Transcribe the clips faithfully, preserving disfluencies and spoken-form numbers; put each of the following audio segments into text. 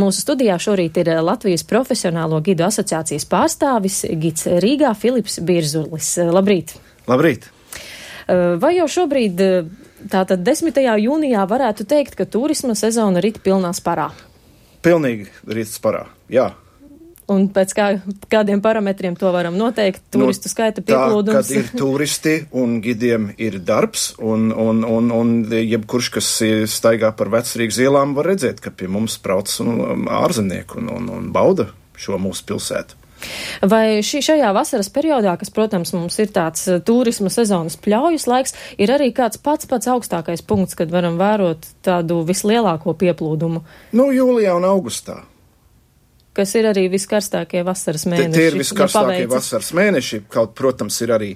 Mūsu studijā šorīt ir Latvijas Profesionālo gidu asociācijas pārstāvis gids Rīgā Filips Birzulis. Labrīt! Labrīt! Vai jau šobrīd, tātad desmitajā jūnijā, varētu teikt, ka turisma sezona rit pilnā sparā? Pilnīgi rit sparā, jā. Un pēc kā, kādiem parametriem to varam noteikt? Turistu no, skaita pieplūdums? Tā, kad ir turisti un gidiem ir darbs, un, un, un, un jebkurš, kas staigā par Vecrīgas ielām, var redzēt, ka pie mums brauc ārzemnieki un, un, un bauda šo mūsu pilsētu. Vai šī, šajā vasaras periodā, kas, protams, mums ir tāds turisma sezonas pļaujas laiks, ir arī kāds pats pats augstākais punkts, kad varam vērot tādu vislielāko pieplūdumu? Nu, jūlijā un augustā. Kas ir arī viskarstākie vasaras mēneši. Tie ir viskarstākie vasaras mēneši, kaut, protams, ir arī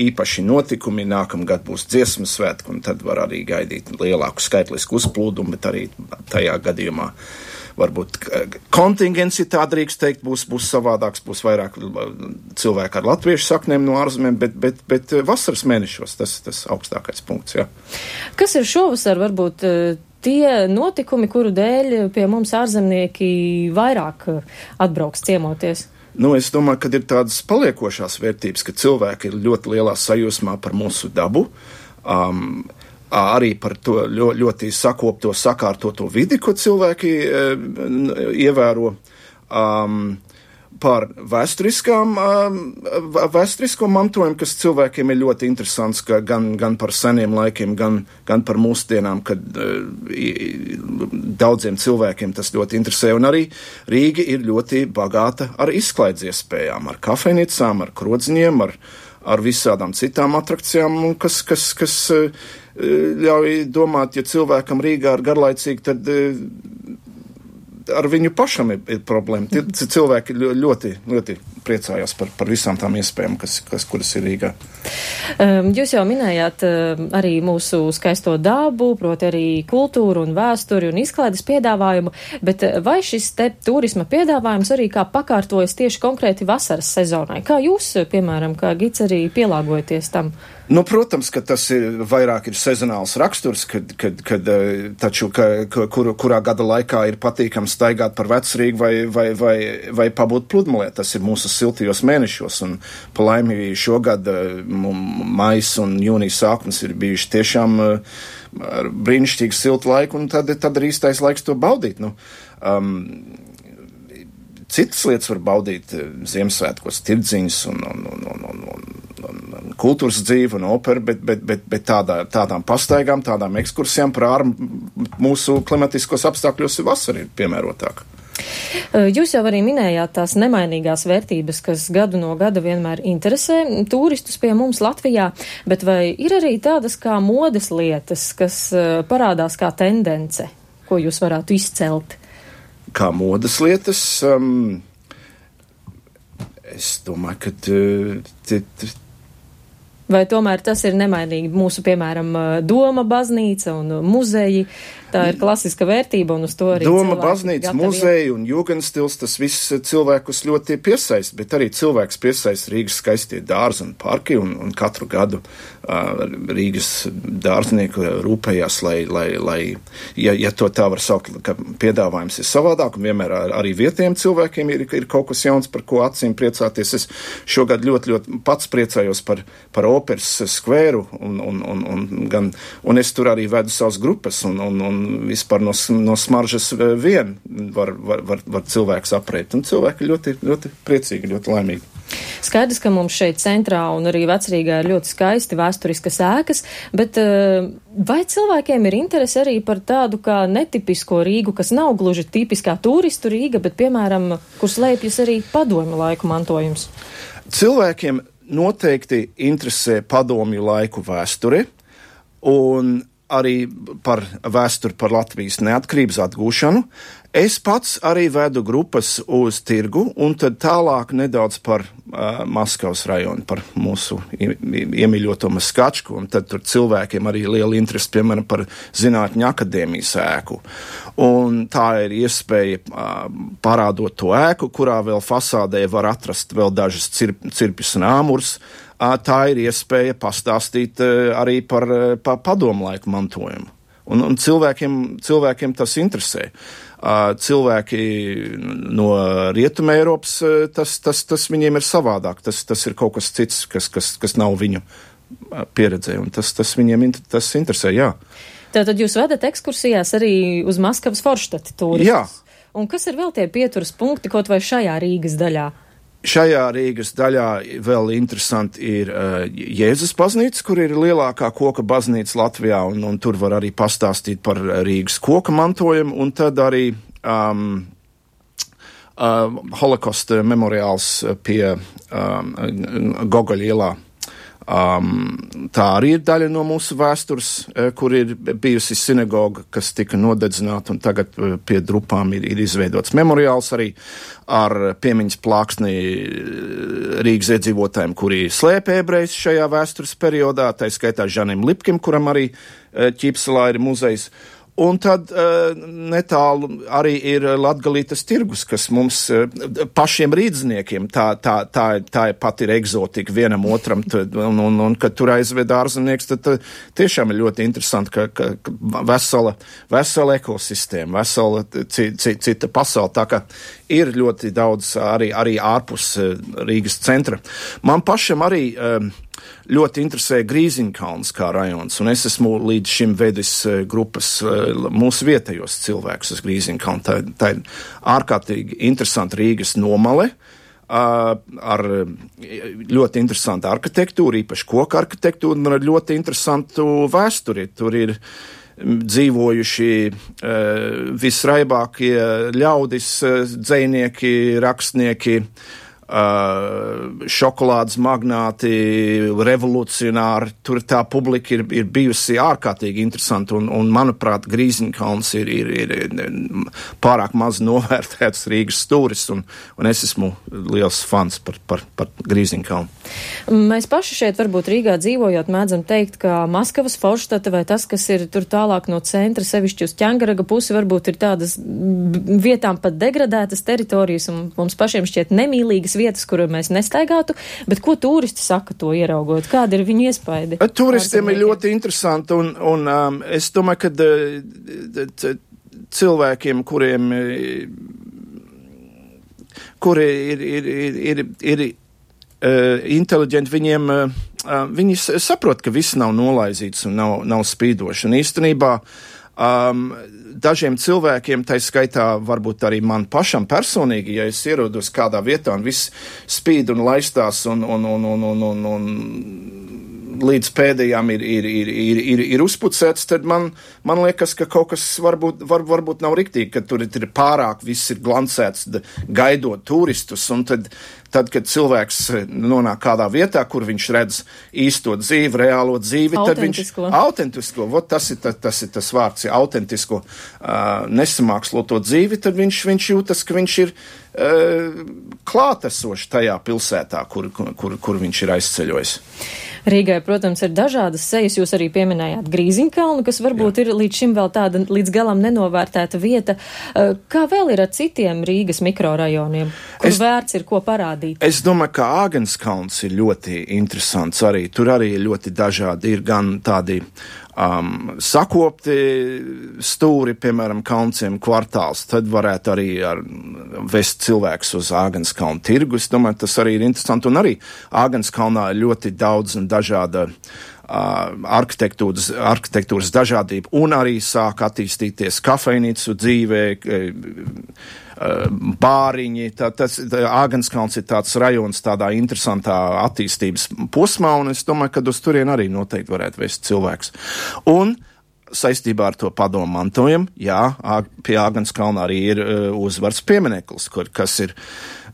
īpaši notikumi, nākamgad būs dziesmu svētki, un tad var arī gaidīt lielāku skaitlisku uzplūdumu, bet arī tajā gadījumā varbūt kontingents, ja tā drīkst teikt, būs, būs savādāks, būs vairāk cilvēku ar latviešu saknēm no ārzemēm, bet, bet, bet vasaras mēnešos tas, tas augstākais punkts, jā. Kas ir šovasar varbūt tie notikumi, kuru dēļ pie mums ārzemnieki vairāk atbrauks ciemoties? Nu, es domāju, ka ir tādas paliekošās vērtības, ka cilvēki ir ļoti lielā sajūsmā par mūsu dabu, um, arī par to ļoti, ļoti sakopto, sakārtoto vidi, ko cilvēki e, ievēro, um, par vēsturiskām, um, vēsturisko mantojumu, kas cilvēkiem ir ļoti interesants, ka gan, gan par seniem laikiem, gan, gan par mūsdienām, kad uh, daudziem cilvēkiem tas ļoti interesē. Un arī Rīga ir ļoti bagāta ar izklaides iespējām, ar kafejnīcām, ar krodziņiem, ar, ar visādām citām atrakcijām, kas, kas, kas uh, ļauj domāt, ja cilvēkam Rīgā ir garlaicīgi, tad uh, ar viņu pašam ir, ir problēma. Cilvēki ļoti, ļoti priecājās par, par visām tām iespējām, kas, kas, kuras ir Rīgā. Jūs jau minējāt arī mūsu skaisto dabu, proti arī kultūru un vēsturi un izklaides piedāvājumu, bet vai šis te turisma piedāvājums arī kā pakārtojas tieši konkrēti vasaras sezonai? Kā jūs, piemēram, kā gids arī pielāgojaties tam? Nu, protams, ka tas ir vairāk ir sezonāls raksturs, kad, kad, kad taču, ka, kur, kurā gada laikā ir patīkams staigāt par Vecrīgu vai, vai, vai, vai pabūt pludmalē. Tas ir mūsu siltajos mēnešos, un pa laimi šogad maijs un jūnijas sākums ir bijuši tiešām ar brīnišķīgu siltu laiku, un tad, tad ir īstais laiks to baudīt. Nu, um, citas lietas var baudīt Ziemassvētkos, tirdziņas un, un, un, un, un, un un kultūras dzīve un opera, bet, bet, bet, bet tādā, tādām pastaigām, tādām ekskursijām par ārmu mūsu klimatiskos apstākļos vasara ir piemērotāk. Jūs jau arī minējāt tās nemainīgās vērtības, kas gadu no gada vienmēr interesē turistus pie mums Latvijā, bet vai ir arī tādas kā modes lietas, kas parādās kā tendence, ko jūs varētu izcelt? Kā modes lietas? Um, es domāju, ka t, t, t, Vai tomēr tas ir nemainīgi mūsu, piemēram, Doma baznīca un muzeji? Tā ir klasiska vērtība un uz to arī Doma baznīca, muzeji un jūgenstils, tas viss cilvēkus ļoti piesaist, bet arī cilvēks piesaist Rīgas skaistie dārzi un parki, un, un katru gadu uh, Rīgas dārznieku rūpējās, lai, lai, lai ja, ja to tā var saukt, ka piedāvājums ir savādāk, un vienmēr ar, arī vietējiem cilvēkiem ir, ir kaut kas jauns, par ko acīm priecāties. Es šogad ļoti, ļoti pats priecājos par, par operas skvēru, un, un, un, un, gan, un es tur arī vedu savas grupas, un, un, un vispār no, no smaržas vien var, var, var, var cilvēks aprēt, un cilvēki ļoti, ļoti priecīgi, ļoti laimīgi. Skaidrs, ka mums šeit centrā un arī Vecrīgā ir ļoti skaisti vēsturiskas ēkas, bet vai cilvēkiem ir interese arī par tādu kā netipisko Rīgu, kas nav gluži tipiskā turistu Rīga, bet, piemēram, kur slēpjas arī padomju laiku mantojums? Cilvēkiem noteikti interesē padomju laiku vēsture, un arī par vēsturi par Latvijas neatkarības atgūšanu. Es pats arī vedu grupas uz tirgu, un tad tālāk nedaudz par uh, Maskavas rajonu, par mūsu iemīļoto Maskačku, un tad tur cilvēkiem arī liela interesi, piemēram, par Zinātņu akadēmijas ēku. Un tā ir iespēja uh, parādot to ēku, kurā vēl fasādē var atrast vēl dažas cirp, cirpjus un āmurs. Uh, tā ir iespēja pastāstīt uh, arī par, uh, par padomlaiku mantojumu. Un, un cilvēkiem, cilvēkiem tas interesē. Uh, cilvēki no Rietuma Eiropas, uh, tas, tas, tas viņiem ir savādāk. Tas, tas ir kaut kas cits, kas, kas, kas nav viņu pieredzē, un tas, tas viņiem tas interesē, jā. Tātad jūs vedat ekskursijās arī uz Maskavas Forštati turistus? Jā. Un kas ir vēl tie pieturas punkti, kaut vai šajā Rīgas daļā? Šajā Rīgas daļā vēl interesanti ir uh, Jēzus baznīca, kur ir lielākā koka baznīca Latvijā, un, un tur var arī pastāstīt par Rīgas koka mantojumu, un tad arī um, uh, Holokosta memoriāls pie um, Gogoļa ielā. Um, tā arī ir daļa no mūsu vēstures, kur ir bijusi sinagoga, kas tika nodedzināta, un tagad pie Drupām ir, ir izveidots memoriāls arī ar piemiņas plāksni Rīgas iedzīvotājiem, kuri slēpa ebrejus šajā vēstures periodā, tā skaitā Žanim Lipkim, kuram arī Ķīpselā ir muzejs. Un tad uh, netālu arī ir Latgalītes tirgus, kas mums uh, pašiem rīdzniekiem, tā, tā, tā, tā pat ir egzotika vienam otram, tad, un, un, un kad tur aizved ārzemnieks, tad, tad tiešām ir ļoti interesanti, ka, ka, ka vesela, vesela ekosistēma, vesela cita, cita pasaule, tā ka ir ļoti daudz arī, arī ārpus uh, Rīgas centra. Man pašam arī uh, ļoti interesē Grīziņkalns kā rajons, un es esmu līdz šim vedis grupas mūsu vietējos cilvēkus uz Grīziņkalnu. Tā, tā ir ārkārtīgi interesanta Rīgas nomale, ar ļoti interesantu arhitektūru, īpaši koku arhitektūru, un ar ļoti interesantu vēsturi. Tur ir dzīvojuši visraibākie ļaudis, dzejnieki, rakstnieki, Uh, šokolādes magnāti, revolucionāri, tur tā publika ir, ir bijusi ārkārtīgi interesanta, un, un manuprāt, Grīziņkalns ir, ir, ir pārāk maz novērtēts Rīgas stūris, un, un es esmu liels fans par, par, par Grīziņkalnu. Mēs paši šeit varbūt Rīgā dzīvojot mēdzam teikt, ka Maskavas Forštata vai tas, kas ir tur tālāk no centra, sevišķi uz Ķengaraga pusi, varbūt ir tādas vietām pat degradētas teritorijas, un mums pašiem šķiet nemīlīgas vietas, kuru mēs nestaigātu, bet ko turisti saka to ieraugot? Kāda ir viņu iespaidi? Turistiem ir ļoti interesanti, un, un um, es domāju, ka uh, cilvēkiem, kuriem kuri ir, ir, ir, ir, ir uh, inteliģenti, viņiem, uh, viņi saprot, ka viss nav nolaizīts un nav, nav spīdoši. Un īstenībā um, dažiem cilvēkiem, tai skaitā varbūt arī man pašam personīgi, ja es ierodos kādā vietā un viss spīd un laistās un, un, un, un, un, un, un līdz pēdējām ir, ir, ir, ir, ir, ir uzpucēts, tad man, man liekas, ka kaut kas varbūt, var, varbūt nav riktīgi, ka tur ir pārāk viss ir glancēts, gaidot turistus, un tad, tad, kad cilvēks nonāk kādā vietā, kur viņš redz īsto dzīvi, reālo dzīvi, tad viņš autentisko, vot tas ir, tas ir tas vārds, ja autentisko, uh, nesamāksloto dzīvi, tad viņš, viņš jūtas, ka viņš ir uh, klātesoši tajā pilsētā, kur, kur, kur viņš ir aizceļojis. Rīgai, protams, ir dažādas sejas. Jūs arī pieminējāt Grīziņkalnu, kas varbūt Jā. ir līdz šim vēl tāda līdz galam nenovērtēta vieta. Kā vēl ir ar citiem Rīgas mikrorajoniem, kur es, vērts ir ko parādīt? Es domāju, ka Āgenskalns ir ļoti interesants arī. Tur arī ir ļoti dažādi. Ir gan tādi um, sakopti stūri, piemēram, Kalnciem kvartāls. Tad varētu arī ar, vest cilvēkus uz Āgenskalnu tirgu. Es domāju, tas arī ir interesanti. Un arī Āgenskalnā ir ļoti daudz un dažāda uh, arhitektūras, arhitektūras dažādība, un arī sāk attīstīties kafejnīcu dzīvē, uh, bāriņi. Tā, tas, tā, Āgenskalns ir tāds rajons tādā interesantā attīstības posmā, un es domāju, ka uz turien arī noteikti varētu vest cilvēks. Un saistībā ar to padomu mantojumu, jā, pie Āgenskalna arī ir uh, uzvaras piemineklis, kur, kas ir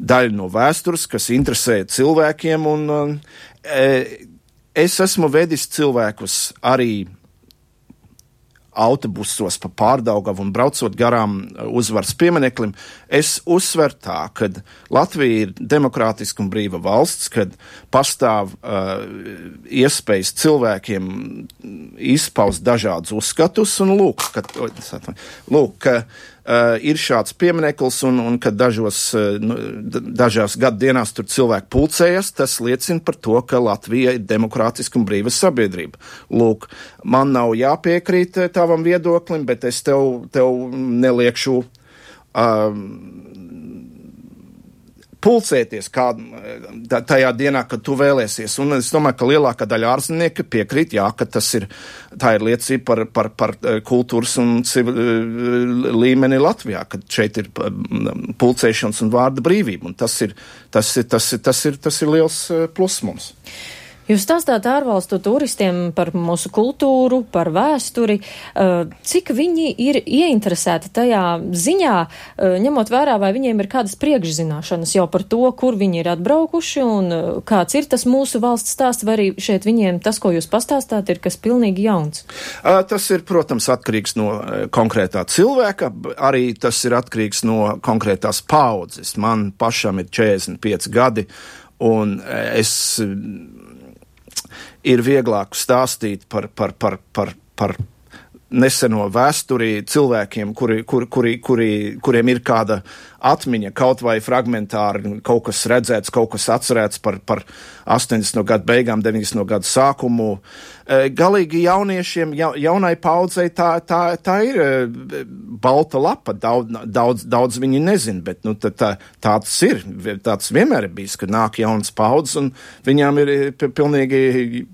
daļa no vēstures, kas interesē cilvēkiem, un uh, es esmu vedis cilvēkus arī autobusos pa Pārdaugavu un braucot garām uzvaras piemineklim. Es uzsveru tā, ka Latvija ir demokrātiska un brīva valsts, kad pastāv uh, iespējas cilvēkiem izpaust dažādus uzskatus, un lūk, ka, lūk, ka uh, ir šāds piemineklis, un, un kad dažos, uh, nu, dažās gadu dienās tur cilvēki pulcējas, tas liecina par to, ka Latvija ir demokrātiska un brīva sabiedrība. Lūk, man nav jāpiekrīt tavam viedoklim, bet es tev, tev neliekšu uh, pulcēties kā, tajā dienā, kad tu vēlēsies. Un es domāju, ka lielākā daļa ārzemnieki piekrīt, jā, ka tas ir, tā ir liecība par, par, par kultūras un civil, līmeni Latvijā, kad šeit ir pulcēšanas un vārda brīvība. Un tas ir, tas ir, tas ir, tas ir, tas ir liels plus mums. Jūs stāstāt ārvalstu turistiem par mūsu kultūru, par vēsturi, cik viņi ir ieinteresēti tajā ziņā, ņemot vērā, vai viņiem ir kādas priekšzināšanas jau par to, kur viņi ir atbraukuši un kāds ir tas mūsu valsts stāsts, vai arī šeit viņiem tas, ko jūs pastāstāt, ir kas pilnīgi jauns? Tas ir, protams, atkarīgs no konkrētā cilvēka, arī tas ir atkarīgs no konkrētās paudzes. Man pašam ir četrdesmit pieci gadi, un es ir vieglāk stāstīt par, par, par, par, par neseno vēsturi cilvēkiem, kuri, kuri, kuri, kuri, kuriem ir kāda atmiņa, kaut vai fragmentāri, kaut kas redzēts, kaut kas atcerēts par, par astoņdesmito gadu beigām, deviņdesmito gadu sākumu. Galīgi jauniešiem, ja, jaunai paudzei tā, tā, tā ir balta lapa, daudz, daudz, daudz viņi nezin, bet nu, tā, tā, tāds ir, tāds vienmēr ir bijis, ka nāk jaunas paudzes un viņām ir pilnīgi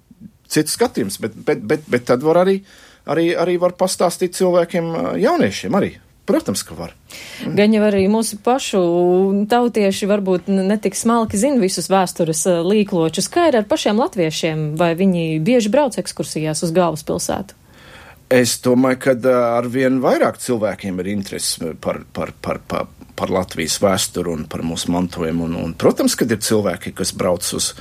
cits skatījums, bet, bet, bet, bet tad var arī Arī, arī var pastāstīt cilvēkiem, jauniešiem arī. Protams, ka var. Mm. Gan jau arī mūsu pašu tautieši varbūt netik smalki zina visus vēstures līkločus. Kā ir ar pašiem latviešiem? Vai viņi bieži brauc ekskursijās uz galvaspilsētu? Es domāju, ka arvien vairāk cilvēkiem ir interesi par, par, par, par, par Latvijas vēsturu un par mūsu mantojumu. Un, un, protams, kad ir cilvēki, kas brauc uz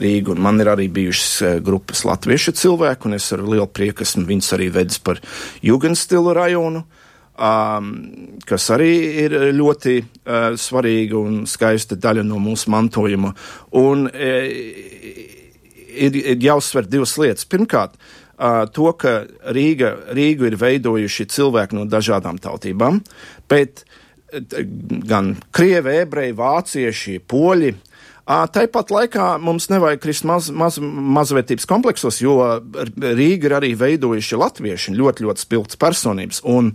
Rīgu, un man ir arī bijušas grupas latviešu cilvēku, un es ar lielu prieku esmu viņus arī vedis par Jugendstilu rajonu, um, kas arī ir ļoti uh, svarīga un skaista daļa no mūsu mantojuma. Un e, ir, ir jāuzsver divas lietas. Pirmkārt, uh, to, ka Rīga, Rīgu ir veidojuši cilvēki no dažādām tautībām, bet gan krievi, ebreji, vācieši, poļi. Tāpat laikā mums nevajag krist maz, maz, mazvērtības kompleksos, jo Rīga ir arī veidojuši latvieši, ļoti, ļoti spilgtas personības. Un,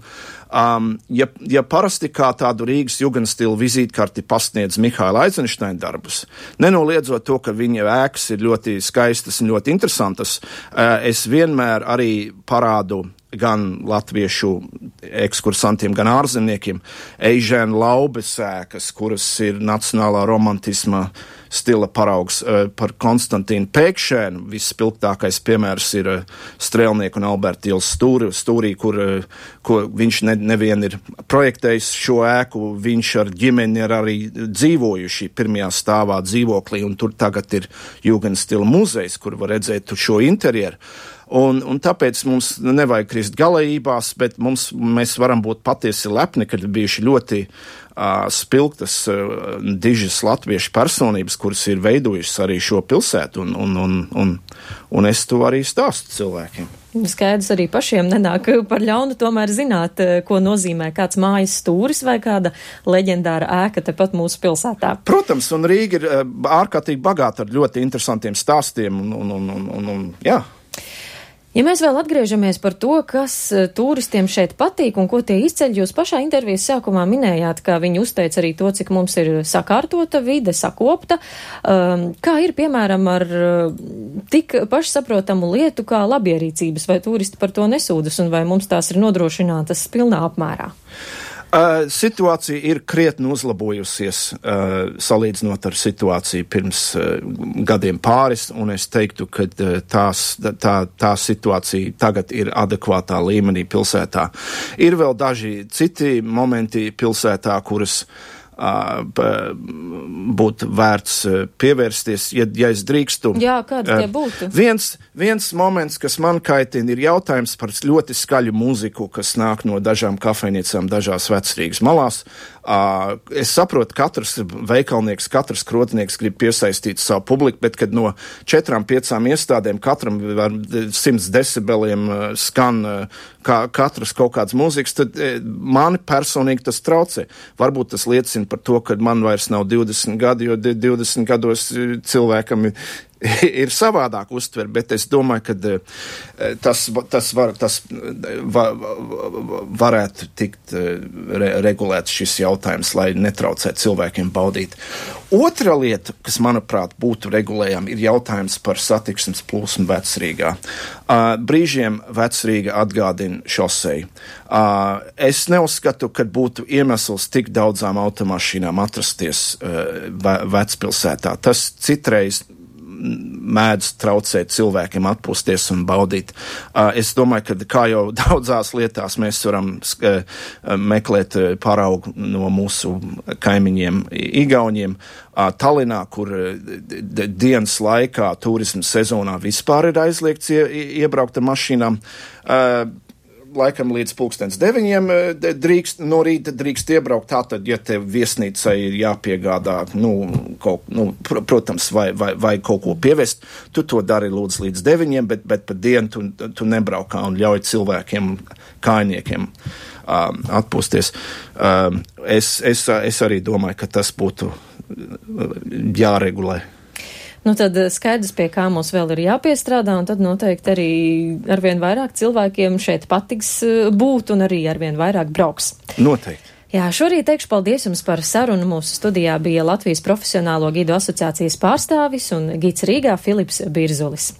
um, ja, ja parasti kā tādu Rīgas Jugendstilu vizītkarti pasniedz Mihaila Eizenšteina darbus, nenoliedzot to, ka viņa ēkas ir ļoti skaistas un ļoti interesantas, uh, es vienmēr arī parādu gan latviešu ekskursantiem, gan ārzemniekiem, Eižēna Laubes ēkas, kuras ir nacionālā romantisma stila paraugs, par Konstantīnu Pēkšēnu. Visspilgtākais piemērs ir Strēlnieku un Alberta ielas stūri, stūrī, kur, kur viņš ne, nevien ir projektējis šo ēku, viņš ar ģimeni ir arī dzīvojuši pirmajā stāvā dzīvoklī, un tur tagad ir Jugendstila muzejs, kur var redzēt šo interjeru. Un, un tāpēc mums nevajag krist galējībās, bet mums, mēs varam būt patiesi lepni, kad ir bijuši ļoti uh, spilgtas, uh, dižas latviešu personības, kuras ir veidojušas arī šo pilsētu, un, un, un, un, un es to arī stāstu cilvēkiem. Skaidrs arī pašiem nenāk par ļaunu tomēr zināt, ko nozīmē kāds mājas stūris vai kāda leģendāra ēka tepat mūsu pilsētā. Protams, un Rīga ir uh, ārkārtīgi bagāta ar ļoti interesantiem stāstiem, un, un, un, un, un, un jā. Ja mēs vēl atgriežamies par to, kas turistiem šeit patīk un ko tie izceļ, jūs pašā intervijas sākumā minējāt, ka viņi uzteica arī to, cik mums ir sakārtota vide, sakopta. Um, kā ir, piemēram, ar tik pašsaprotamu lietu kā labierīcības, vai turisti par to nesūdas un vai mums tās ir nodrošinātas pilnā apmērā? Uh, situācija ir krietni uzlabojusies, uh, salīdzinot ar situāciju pirms uh, gadiem pāris, un es teiktu, ka uh, tās, tā, tā situācija tagad ir adekvātā līmenī pilsētā. Ir vēl daži citi momenti pilsētā, kuras būtu vērts pievērsties, ja, ja es drīkstu. Jā, kādi tie būtu? Viens, viens moments, kas man kaitina, ir jautājums par ļoti skaļu mūziku, kas nāk no dažām kafejnīcām, dažās Vecrīgas malās. Es saprotu, katrs veikalnieks, katrs krotnieks grib piesaistīt savu publiku, bet kad no četrām, piecām iestādēm katram ar simts decibeliem skan kā katrs kaut kāds mūzikas, tad mani personīgi tas traucē. Varbūt tas liecina par to, ka man vairs nav divdesmit gadi, jo divdesmit gados cilvēkam ir savādāk uztver, bet es domāju, ka tas, tas, var, tas var, varētu tikt re, regulēts šis jautājums, lai netraucētu cilvēkiem baudīt. Otra lieta, kas, manuprāt, būtu regulējama, ir jautājums par satiksmes plūsmu Vecrīgā. Brīžiem Vecrīga atgādina šoseju. Es neuzskatu, ka būtu iemesls tik daudzām automašīnām atrasties vecpilsētā. Tas citreiz mēdz traucēt cilvēkiem atpūsties un baudīt. Es domāju, ka kā jau daudzās lietās mēs varam meklēt paraugu no mūsu kaimiņiem Igauņiem. Tallinā, kur dienas laikā turisma sezonā vispār ir aizliegts iebraukt ar mašīnām, laikam līdz pulkstens deviņiem drīkst, no rīta drīkst iebraukt, tātad, ja tev viesnīcai ir jāpiegādā, nu, kaut, nu pr protams, vai, vai, vai kaut ko pievest, tu to dari lūdzu līdz deviņiem, bet, bet pa dienu tu, tu nebraukā un ļauj cilvēkiem, kājniekiem um, atpūsties. Um, es, es, es arī domāju, ka tas būtu jāregulē. Nu tad skaidrs, pie kā mums vēl ir jāpiestrādā, un tad noteikti arī arvien vairāk cilvēkiem šeit patiks būt un arī arvien vairāk brauks. Noteikti. Jā, šorīt teikšu paldies jums par sarunu. Mūsu studijā bija Latvijas Profesionālo gidu asociācijas pārstāvis un gids Rīgā Filips Birzulis.